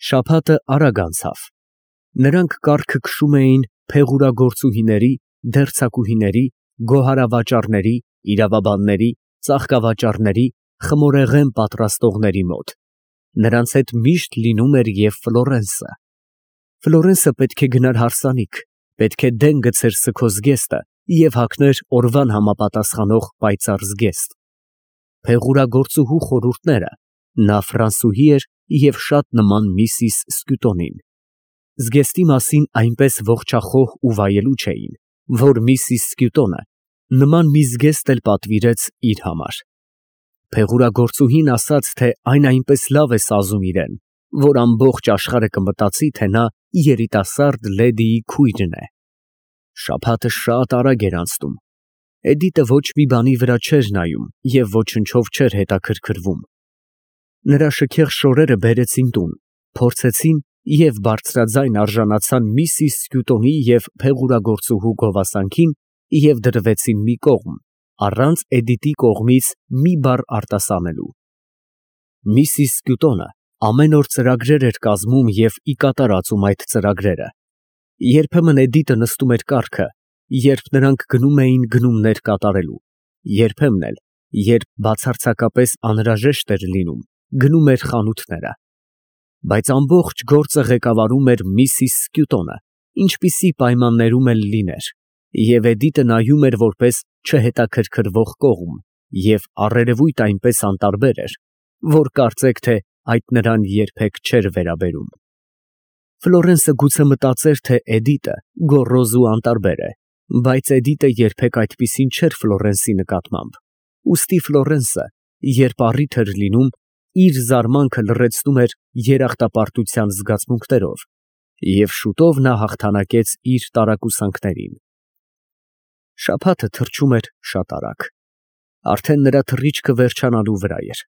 Շաբաթը արագ անցավ։ Նրանք կառքը քշում էին փեղուրագործուհիների, դերձակուհիների, գոհարավաճառների, իրավաբանների, ծաղկավաճառների, խմորեղեն պատրաստողների մոտ։ Նրանց հետ միշտ լինում էր և Ֆլորենսը։ Ֆլորենսը պետք է գնար հարսանիք, պետք է դեն գցեր սգո զգեստը և հագներ օրվան համապատասխանող պայծառ զգեստ։ Փեղուրագործուհու խորհուրդները, նա ֆրանսուհի էր և շատ նման միսիս Սկյուտոնին։ Զգեստի մասին այնպես ողջախոհ ու վայելուչ էին, որ միսիս Սկյուտոնը նման մի զգեստ էլ պատվիրեց իր համար։ Փեղուրագործուհին ասաց, թե այն այնպես լավ է սազում իրեն, որ ամբողջ աշխարհը կմտածի, թե նա երիտասարդ լեդիի քույրն է։ Շաբաթը շատ արագ էր անցնում։ Էդիտը ոչ մի բանի վրա չէր նայում և ոչնչով չէր հետաքրքրվում։ Նրա շքեղ շորերը բերեցին տուն, փորձեցին և բարձրաձայն արժանացան միսիս Սկյուտոնի և փեղուրագործուհու գովասանքին և դրվեցին մի կողմ, առանց Էդիտի կողմից մի բառ արտասանելու։ Միսիս Սկյուտոնը ամեն օր ծրագրեր էր կազմում և ի կատար ածում այդ ծրագրերը։ Երբեմն Էդիտը նստում էր կառքը, երբ նրանք գնում էին գնումներ կատարելու, երբեմն էլ, երբ բացարձակապես անհրաժեշտ էր լինում, գնում էր խանութները։ Բայց ամբողջ գործը ղեկավարում էր միսիս Սկյուտոնը, ինչպիսի պայմաններում էլ լիներ, և Էդիտը նայում էր որպես չհետաքրքրվող կողմ և առերևույթ այնպես անտարբեր էր, որ կարծեք թե այդ նրան երբեք չէր վերաբերում։ Ֆլորենսը գուցե մտածեր, թե Էդիտը գոռոզ ու անտարբեր է, բայց Էդիտը երբեք այդպիսին չէր Ֆլորենսի նկատմամբ, ուստի Ֆլորենսը, երբ առիթ էր լինում, իր զարմանքը լռեցնում էր երախտապարտության զգացմունքներով, և շուտով նա հաղթանակեց իր տարակուսանքներին։ Շաբաթը թռչում էր շատ արագ։ Արդեն նրա թռիչքը վերջանալու վրա էր։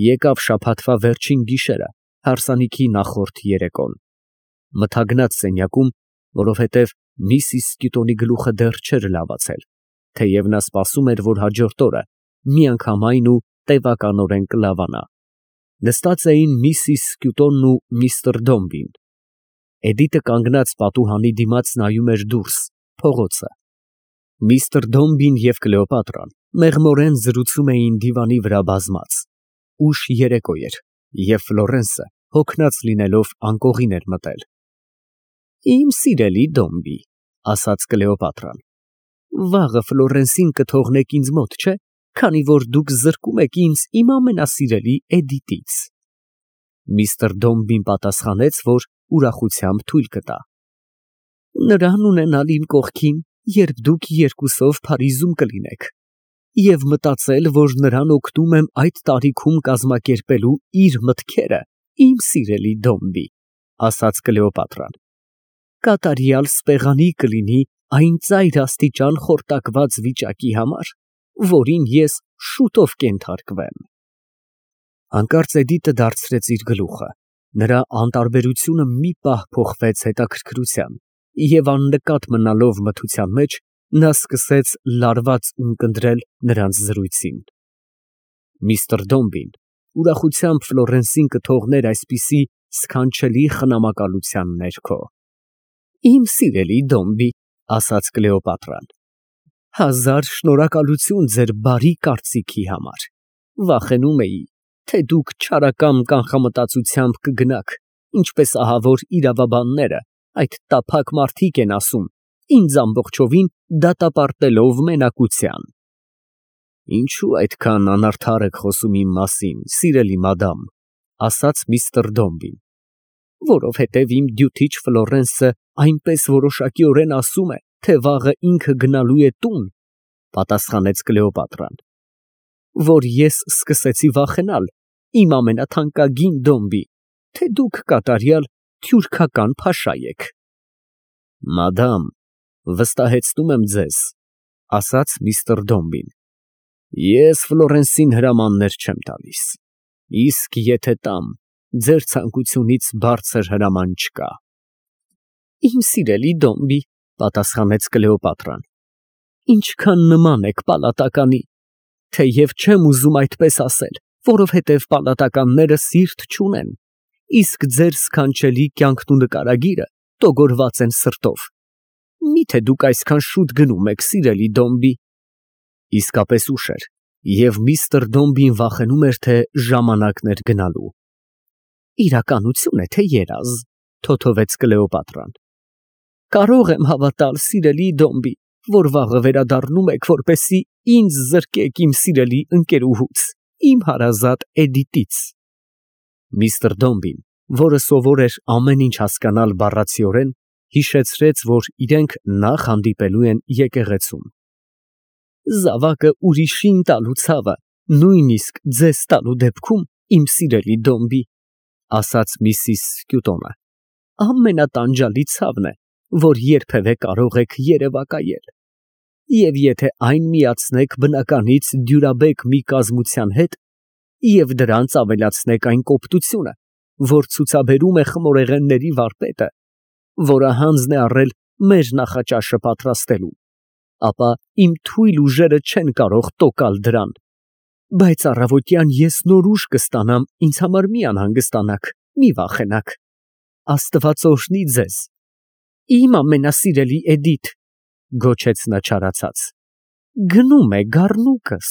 Եկավ շաբաթվա վերջին գիշերը, հարսանիքի նախորդ երեկոն։ Մթագնաց սենյակում, որովհետև միսիս Սկյուտոնի գլուխը դեռ չէր լավացել, թեև նա սպասում էր, որ հաջորդ օրը միանգամայն ու տևականորեն կլավանա։ Նստած էին միսիս Սկյուտոնն ու միստր Դոմբին։ Էդիտը կանգնած պատուհանի դիմաց նայում էր դուրս, փողոցը։ Միստր Դոմբին և Կլեոպատրան մեղմորեն զրուցում էին դիվանի վրա բազմած։ Ուշ երեկո էր, և Ֆլորենսը, հոգնած լինելով, անկողին էր մտել։ Իմ սիրելի Դոմբի, ասաց Կլեոպատրան, վաղը Ֆլորենսին կթողնեք ինձ մոտ, չէ՞, քանի որ դուք զրկում եք ինձ իմ ամենասիրելի Էդիտից։ Միստր Դոմբին պատասխանեց, որ ուրախությամբ թույլ կտա։ Նրան ունենալ իմ կողքին, երբ դուք երկուսով Փարիզում կլինեք, և մտածել, որ նրան օգնում եմ այդ տարիքում կազմակերպելու իր մտքերը, իմ սիրելի Դոմբի, ասաց Կլեոպատրան, կատարյալ սպեղանի կլինի այն ծայր աստիճան խորտակված վիճակի համար, որին ես շուտով կենթարկվեմ։ Հանկարծ Էդիտը դարձրեց իր գլուխը, նրա անտարբերությունը մի պահ փոխվեց հետաքրքրության, և աննկատ մնալով մթության մեջ, նա սկսեց լարված ունկնդրել նրանց զրույցին։ Միստր Դոմբին ուրախությամբ Ֆլորենսին կթողներ այսպիսի սքանչելի խնամակալության ներքո։ Իմ սիրելի Դոմբի, ասաց Կլեոպատրան, հազար շնորհակալություն ձեր բարի կարծիքի համար։ Վախենում էի, թե դուք չարակամ կանխամտածությամբ կգնաք, ինչպես ահավոր իրավաբանները, այդ տափակ մարդիկ են ասում, ինձ ամբողջովին դատապարտելով մենակության։ Ինչու այդքան անարդար եք խոսում իմ մասին, սիրելի մադամ, ասաց միստր Դոմբին։ Որովհետև իմ դյութիչ Ֆլորենսը այնպես որոշակիորեն ասում է, թե վաղը ինքը գնալու է տուն, պատասխանեց Կլեոպատրան, որ ես սկսեցի վախենալ, իմ ամենաթանկագին Դոմբի, թե դուք կատարյալ թյուրքական փաշա եք։ Մադամ, վստահեցնում եմ ձեզ, ասաց միստր Դոմբին, ես Ֆլորենսին հրամաններ չեմ տալիս, իսկ եթե տամ, ձեր ցանկությունից բարձր հրաման չկա։ Իմ սիրելի Դոմբի, պատասխանեց Կլեոպատրան, ինչքան նման եք պալատականի, թեև չեմ ուզում այդպես ասել, որովհետև պալատականները սիրտ չունեն, իսկ ձեր սքանչելի կյանքն ու նկարագիրը տոգորված են սրտով։ Միթե դուք այսքան շուտ գնում եք, սիրելի Դոմբի։ Իսկապես ուշ էր, և միստր Դոմբին վախենում էր, թե ժամանակն էր գնալու։ Իրականություն է, թե երազ, թոթովեց Կլեոպատրան։ Կարող եմ հավատալ, սիրելի Դոմբի, որ վաղը վերադառնում եք, որպեսզի ինձ զրկեք իմ սիրելի ընկերուհուց, իմ հարազատ Էդիտից։ Միստր Դոմբին, որը սովոր էր ամեն ինչ հասկանալ բառացիորեն, հիշեցրեց, որ իրենք նախ հանդիպելու են եկեղեցում։ Զավակը ուրիշին տալու ցավը, նույնիսկ ձեզ տալու դեպքում, իմ սիրելի Դոմբի, ասաց Միսիս Սկյուտոնը, ամենատանջալի ցավն է, որ երբևէ կարող եք երևակայել։ Եվ եթե այն միացնեք բնականից դյուրաբեկ մի կազմության հետ, և դրանց ավելացնեք այն կոպտությունը, որ ցուցաբերում է խմորեղենների վարպետը, որը հանձն է առել մեր նախաճաշը պատրաստելու, ապա իմ թույլ ուժերը չեն կարող տոկալ դրան։ Բայց առավոտյան ես նոր ուժ կստանամ, ինձ համար մի անհանգստանաք, մի վախենաք։ Աստված օրհնի ձեզ։ Իմ ամենասիրելի Էդիթ, գոչեց նա չարացած, գնում է գառնուկս։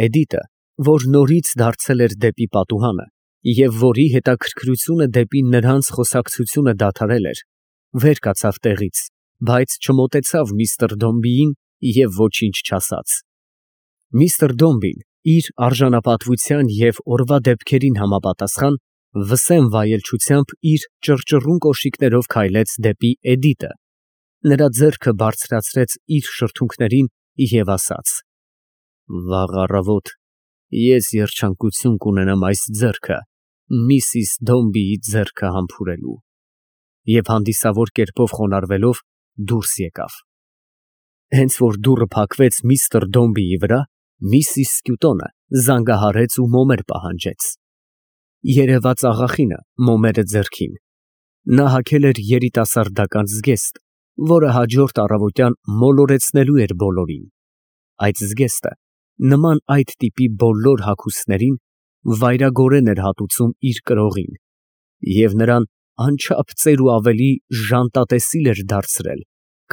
Էդիտը, որ նորից դարձել էր դեպի պատուհանը, և որի հետաքրքրությունը դեպի նրանց խոսակցությունը դադարել էր, վեր կացավ տեղից, բայց չմոտեցավ միստր Դոմբիին և ոչինչ չասաց։ Միստր Դոմբին իր արժանապատվության և օրվա դեպքերին համապատասխան վսեմ վայելչությամբ իր ճռճռուն կոշիկներով քայլեց դեպի Էդիտը, նրա ձեռքը բարձրացրեց իր շրթունքներին և ասաց. Վաղ առավոտ ես երջանկություն կունենամ այս ձեռքը Միսիս Դոմբիի ձեռքը համբուրելու, և հանդիսավոր կերպով խոնարհվելով դուրս եկավ։ Հենց որ դուռը փակվեց միստր Դոմբիի վրա, Միսիս Սկյուտոնը զանգահարեց ու մոմեր պահանջեց։ Երևաց աղախինը մոմերը ձեռքին։ Նա հագել էր երիտասարդական զգեստ, որը հաջորդ առավոտյան մոլորեցնելու էր բոլորին։ Այդ զգեստը, նման այդ տիպի բոլոր հագուստներին, վայրագորեն էր հատուցում իր կրողին և նրան անչափ ծեր ու ավելի ժանտատեսիլ էր դարձրել,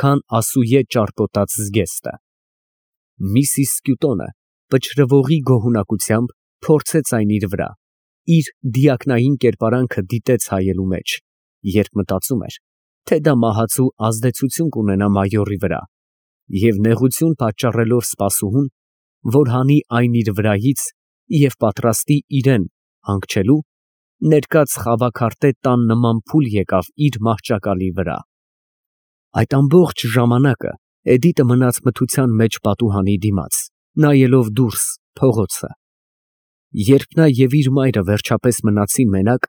քան ասուե ճարպոտած զգեստը։ Միսիս Սկյուտոնը պչրվողի գոհունակությամբ փորձեց այն իր վրա, իր դիակնային կերպարանքը դիտեց հայելու մեջ, երբ մտածում էր, թե դա մահացու ազդեցություն կունենա մայորի վրա, և նեղություն պատճառելով սպասուհուն, որ հանի այն իր վրայից և պատրաստի իրեն հանգչելու, ներկած խավաքարտե տան նման փուլ եկավ իր մահճակալի վրա։ Այդ ամբողջ ժամանակը Էդիտը մնաց մթության մեջ պատուհանի դիմաց, նայելով դուրս փողոցը։ Երբ նա և իր մայրը վերջապես մնացին մենակ,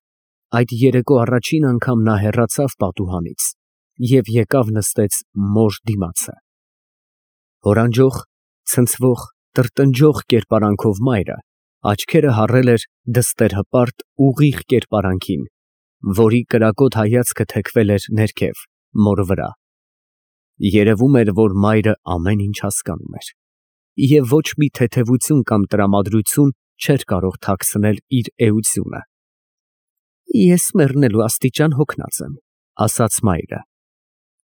այդ երեկո առաջին անգամ նա հեռացավ պատուհանից և եկավ նստեց մոր դիմացը։ Հորանջող, ցնցվող, տրտնջող կերպարանքով մայրը աչքերը հառել էր դստեր֊հպարտ ուղիղ կերպարանքին, որի կրակոտ հայացքը թեքվել էր ներքև, մորը վրա։ Երևում էր, որ մայրը ամեն ինչ հասկանում էր, և ոչ մի թեթևություն կամ տրամադրություն չէր կարող թաքցնել իր էությունը։ Ես մեռնելու աստիճան հոգնած եմ, ասաց մայրը։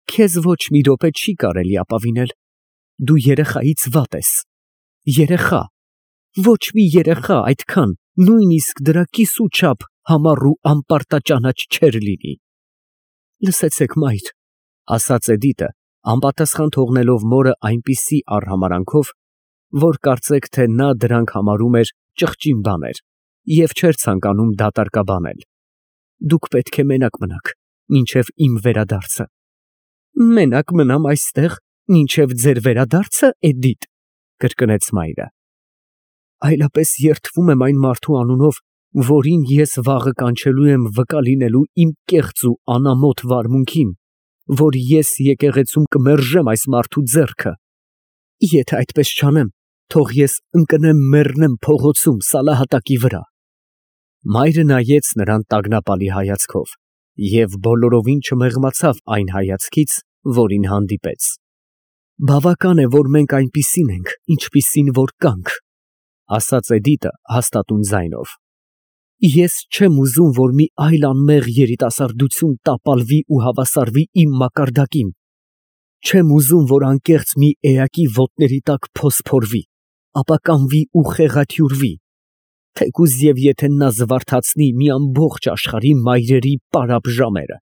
Քեզ ոչ մի րոպե չի կարելի ապավինել, դու երեխայից վատ ես, երեխա, ոչ մի երեխա այդքան, նույնիսկ դրա կիսու չափ համառ ու անպարտաճանաչ չէր լինի։ Լսեցեք, մայր, ասաց Էդիտը, անպատասխան թողնելով մորը այնպիսի արհամարանքով, որ կարծեք, թե նա դրանք համարում էր ճղճին բաներ և չէր ցանկանում դատարկաբանել։ Դուք պետք է մենակ մնաք, մինչև իմ վերադարձը։ Մենակ մնամ այստեղ, մինչև ձեր վերադարձը, Էդիթ, կրկնեց մայրը։ Այլապես երդվում եմ այն մարդու անունով, որին ես վաղը կանչելու եմ վկա լինելու իմ կեղծ ու անամոթ վարմունքին, որ ես եկեղեցում կմերժեմ այս մարդու ձեռքը։ Եթե այդպես չանեմ, թող ես ընկնեմ մեռնեմ փողոցում սալահատակի վրա։ Մայրը նայեց նրան տագնապալի հայացքով և բոլորովին չմեղմացավ այն հայացքից, որին հանդիպեց։ Բավական է, որ մենք այնպիսին ենք, ինչպիսին որ կանք, ասաց Էդիտը հաստատուն ձայնով։ Ես չեմ ուզում, որ մի այլ անմեղ երիտասարդություն տապալվի ու հավասարվի իմ մակարդակին, չեմ ուզում, որ անկեղծ մի էակի ոտների տակ փոսփորվի, ապա կանվի ու խեղաթյուրվի, թեկուզ և եթե նա զվարթացնի մի ամբողջ աշխարհի մայրերի պարապ ժամերը։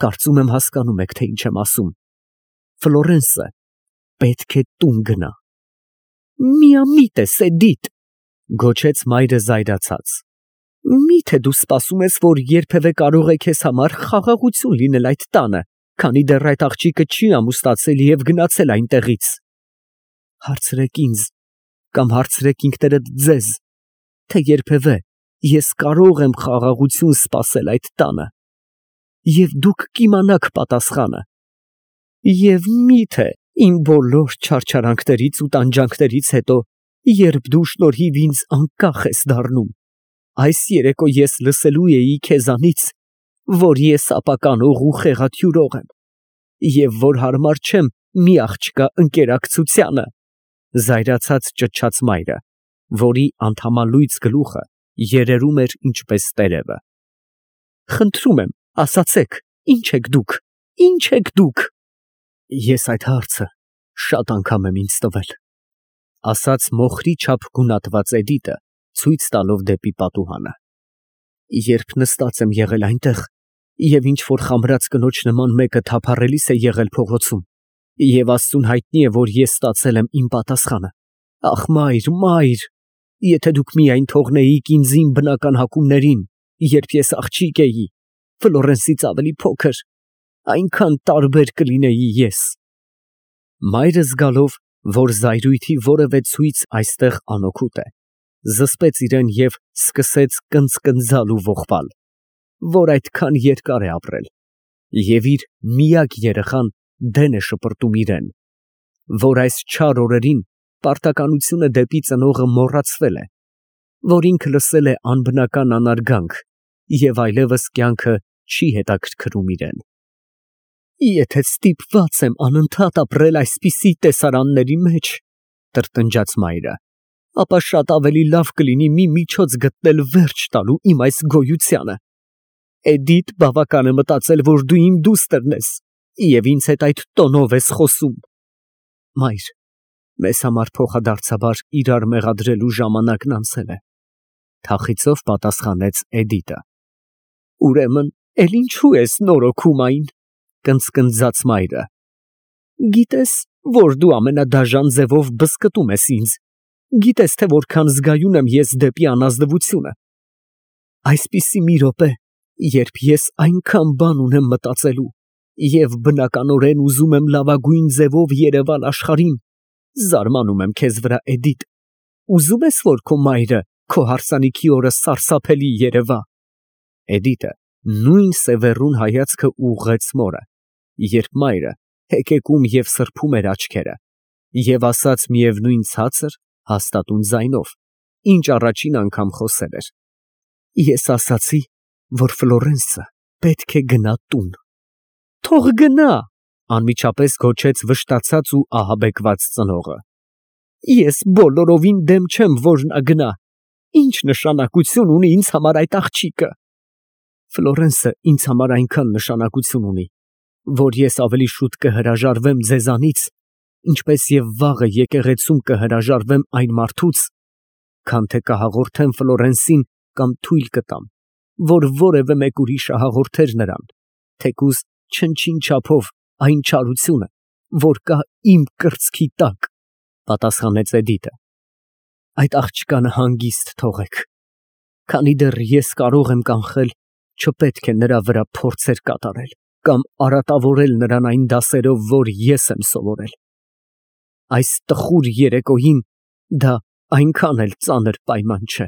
Կարծում եմ հասկանում եք, թե ինչ եմ ասում։ Ֆլորենսը պետք է տուն գնա։ Միամիտ ես, Էդիթ, գոչեց մայրը զայրացած։ Միթե դու սպասում ես, որ երբևէ կարող է քեզ համար խաղաղություն լինել այդ տանը, քանի դեռ այդ աղջիկը չի ամուսնացել և գնացել այնտեղից։ Հարցրեք ինձ, կամ հարցրեք ինքներդ ձեզ, թե երբևէ ես կարող եմ խաղաղություն սպասել այդ տանը, և դուք կիմանաք պատասխանը։ Եվ միթե իմ բոլոր չարչարանքներից ու տանջանքներից հետո, երբ դու շնորհիվ ինձ անկախ ես դառնում, այս երեկո ես լսելու էի քեզանից, որ ես ապականող ու խեղաթյուրող եմ, և որ հարմար չեմ մի աղջկա ընկերակցությանը, զայրացած ճչաց մայրը, որի անդամալույծ գլուխը երերում էր ինչպես տերևը։ Խնդրում եմ, ասացեք, ի՞նչ եք դուք, ի՞նչ եք դուք։ Ես այդ հարցը շատ անգամ եմ ինձ տվել, ասաց մոխրի չափ գունատված Էդիտը, ցույց տալով դեպի պատուհանը։ Երբ նստած եմ եղել այնտեղ, և ինչ որ խամրած կնոջ նման մեկը թափառելիս է եղել փողոցում, և Աստծուն հայտնի է, որ ես ստացել եմ իմ պատասխանը։ Ախ, մայր, մայր, եթե դուք միայն թողնեիք ինձ իմ բնական հակումներին, երբ ես աղջիկ էի, Ֆլորենսից ավելի փոքր, այնքան տարբեր կլինեի ես։ Մայրը զգալով, որ զայրույթի որևէ ցույց այստեղ անօգուտ է, զսպեց իրեն և սկսեց կնծկնձալ ու ողբալ, որ այդքան երկար է ապրել, և իր միակ երեխան դեն է շպրտում իրեն, որ այս չար օրերին պարտականությունը դեպի ծնողը մոռացվել է, որ ինքը լսել է անբնական անարգանք և այլևս կյանքը չի հետաքրքրում իրեն։ Եթե ստիպված եմ անընդհատ ապրել այսպիսի տեսարանների մեջ, տրտնջաց մայրը, ապա շատ ավելի լավ կլինի մի միջոց գտնել վերջ տալու իմ այս գոյությանը։ Էդիթ բավական է մտածել, որ դու իմ դուստրն ես, և ինձ հետ այդ տոնով ես խոսում։ Մայր, մեզ համար փոխադարձաբար իրար մեղադրելու ժամանակն անցել է, թախիծով պատասխանեց Էդիտը։ Ուրեմն, էլ ինչու ես նորոգում այն, կնծկնձաց մայրը։ Գիտես, որ դու ամենադաժան ձևով բզկտում ես ինձ, գիտես, թե որքան զգայուն եմ ես դեպի անազնվությունը։ Այսպիսի մի րոպե, երբ ես այնքան բան ունեմ մտածելու և բնականորեն ուզում եմ լավագույն ձևով երևալ աշխարհին, զարմանում եմ քեզ վրա, Էդիթ, ուզում ես, որ քո մայրը քո հարսանիքի օրը սարսափելի երևա։ Էդիտը նույն սևեռուն հայացքը ուղղեց մորը, երբ մայրը հեկեկում և սրբում էր աչքերը, և ասաց միևնույն ցածր, հաստատուն ձայնով, ինչ առաջին անգամ խոսել էր. Ես ասացի, որ Ֆլորենսը պետք է գնա տուն։ Թող գնա, անմիջապես գոչեց վշտացած ու ահաբեկված ծնողը։ Ես բոլորովին դեմ չեմ, որ նա գնա։ Ինչ նշանակություն ունի ինձ համար այդ աղջիկը։ Ֆլորենսը ինձ համար այնքան նշանակություն ունի, որ ես ավելի շուտ կհրաժարվեմ ձեզանից, ինչպես և վաղը եկեղեցում կհրաժարվեմ այն մարդուց, քան թե կհաղորդեմ Ֆլորենսին կամ թույլ կտամ, որ որևէ մեկ ուրիշը հաղորդեր նրան, թեկուզ չնչին չափով այն չարությունը, որ կա իմ կրծքի տակ, պատասխանեց Էդիտը։ Այդ աղջկանը հանգիստ թողեք, քանի դեռ ես կարող եմ կանխել, չպետք է նրա վրա փորձեր կատարել կամ արատավորել նրան այն դասերով, որ ես եմ սովորել։ Այս տխուր երեկոյին դա այնքան էլ ծանր պայման չէ։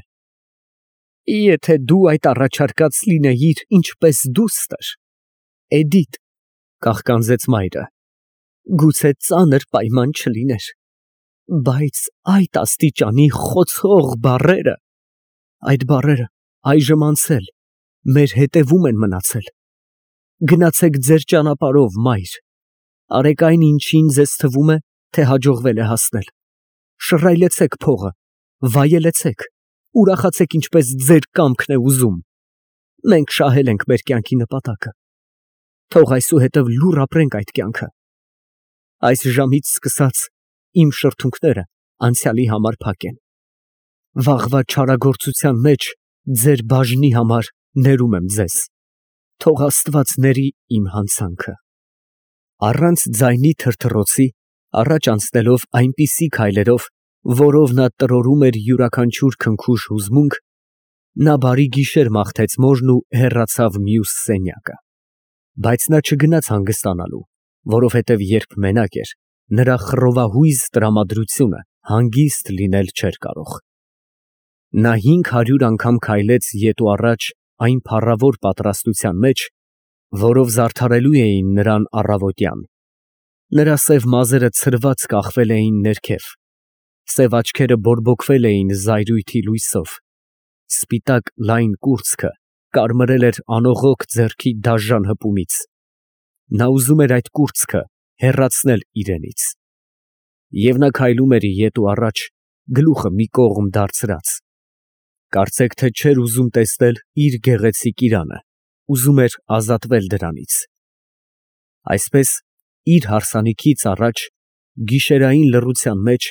Եթե դու այդ առաջարկած լինեիր ինչպես դուստր, Էդիթ, կաղկանձեց մայրը, գուցե ծանր պայման չլիներ, բայց այդ աստիճանի խոցող բառերը, այդ բառերը այժմ անցել, մեր հետևում են մնացել։ Գնացեք ձեր ճանապարհով, մայր, արեք այն, ինչին ձեզ թվում է, թե հաջողվել է հասնել։ Շռայլեցեք փողը, վայելեցեք ուրախացեք ինչպես ձեր կամքն է ուզում։ Մենք շահել ենք մեր կյանքի նպատակը։ Թող այսուհետև լուռ ապրենք այդ կյանքը։ Այս ժամից սկսած իմ շրթունքները անցյալի համար փակ են։ Վաղվա չարագործության մեջ ձեր բաժնի համար ներում եմ ձեզ։ Թող Աստված ների իմ հանցանքը։ Առանց ձայնի թրթռոցի, առաջ անցնելով այնպիսի քայլերով, որով նա տրորում էր յուրաքանչյուր քնքուշ հուզմունք, նա բարի գիշեր մաղթեց մորն ու հեռացավ մյուս սենյակը։ Բայց նա չգնաց հանգստանալու, որովհետև երբ մենակ էր, նրա խռովահույզ տրամադրությունը հանգիստ լինել չէր կարող։ Նա 500 անգամ քայլեց ետ ու առաջ այն փառավոր պատրաստության մեջ, որով զարդարելու էին նրան առավոտյան։ Նրա սև մազերը ցրված կախվել էին ներքև, սև աչքերը բորբոքվել էին զայրույթի լույսով, սպիտակ լայն կուրծքը կարմրել էր անողոք ձեռքի դաժան հպումից։ Նա ուզում էր այդ կուրծքը հեռացնել իրենից։ Եվ նա քայլում էր ետ ու առաջ, գլուխը մի կողմ դարձրած։ Կարծեք թե չէր ուզում տեսնել իր գեղեցիկ իրանը, ուզում էր ազատվել դրանից։ Այսպես, իր հարսանիքից առաջ, գիշերային լռության մեջ,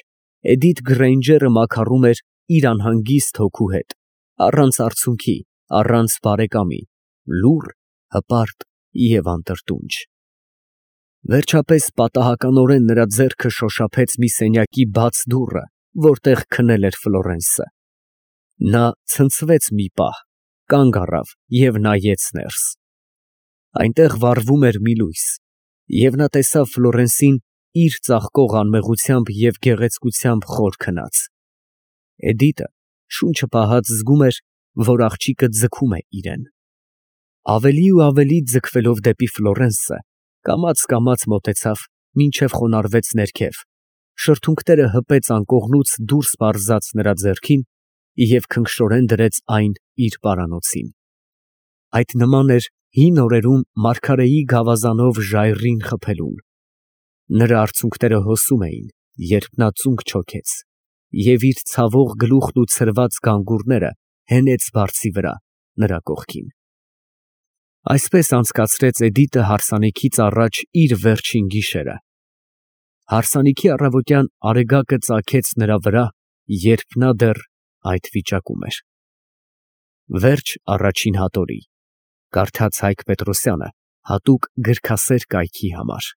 Էդիթ Գրեյնջերը մաքարում էր իր անհանգիստ հոգու հետ, առանց արցունքի, առանց բարեկամի, լուռ, հպարտ և անտրտունջ։ Վերջապես պատահականորեն նրա ձեռքը շոշափեց մի սենյակի բաց դուռը, որտեղ քնել էր Ֆլորենսը։ Նա ցնցվեց մի պահ, կանգ առավ և նայեց ներս։ Այնտեղ վառվում էր մի լույս, և նա տեսավ Ֆլորենսին իր ծաղկող անմեղությամբ և գեղեցկությամբ խոր քնած։ Էդիտը շունչը պահած զգում էր, որ աղջիկը ձգում է իրան։ Ավելի ու ավելի ձգվելով դեպի Ֆլորենսը, կամաց մոտեցավ, մինչև խոնարհվեց ներքև, շրթունքները հպեց անկողնուց դուրս պարզած նրա ձեռքին և քնքշորեն դրեց այն իր պարանոցին։ Այդ նման էր հին օրերում մարգարեի գավազանով ժայռին խփելուն։ Նրա արցունքները հոսում էին, երբ նա ծունկ չոքեց, և իր ցավող գլուխն ու ցրված գանգուրները հենեց բարձի վրա, նրա կողքին։ Այսպես անցկացրեց Էդիտը հարսանիքից առաջ իր վերջին գիշերը։ Հարսանիքի առավոտյան արեգակը ծագեց նրա վրա, երբ նա դեռ այդ վիճակում էր։ Վերջ առաջին հատորի։ Կարդաց Հայկ Պետրոսյանը հատուկ գրքասեր կայքի համար։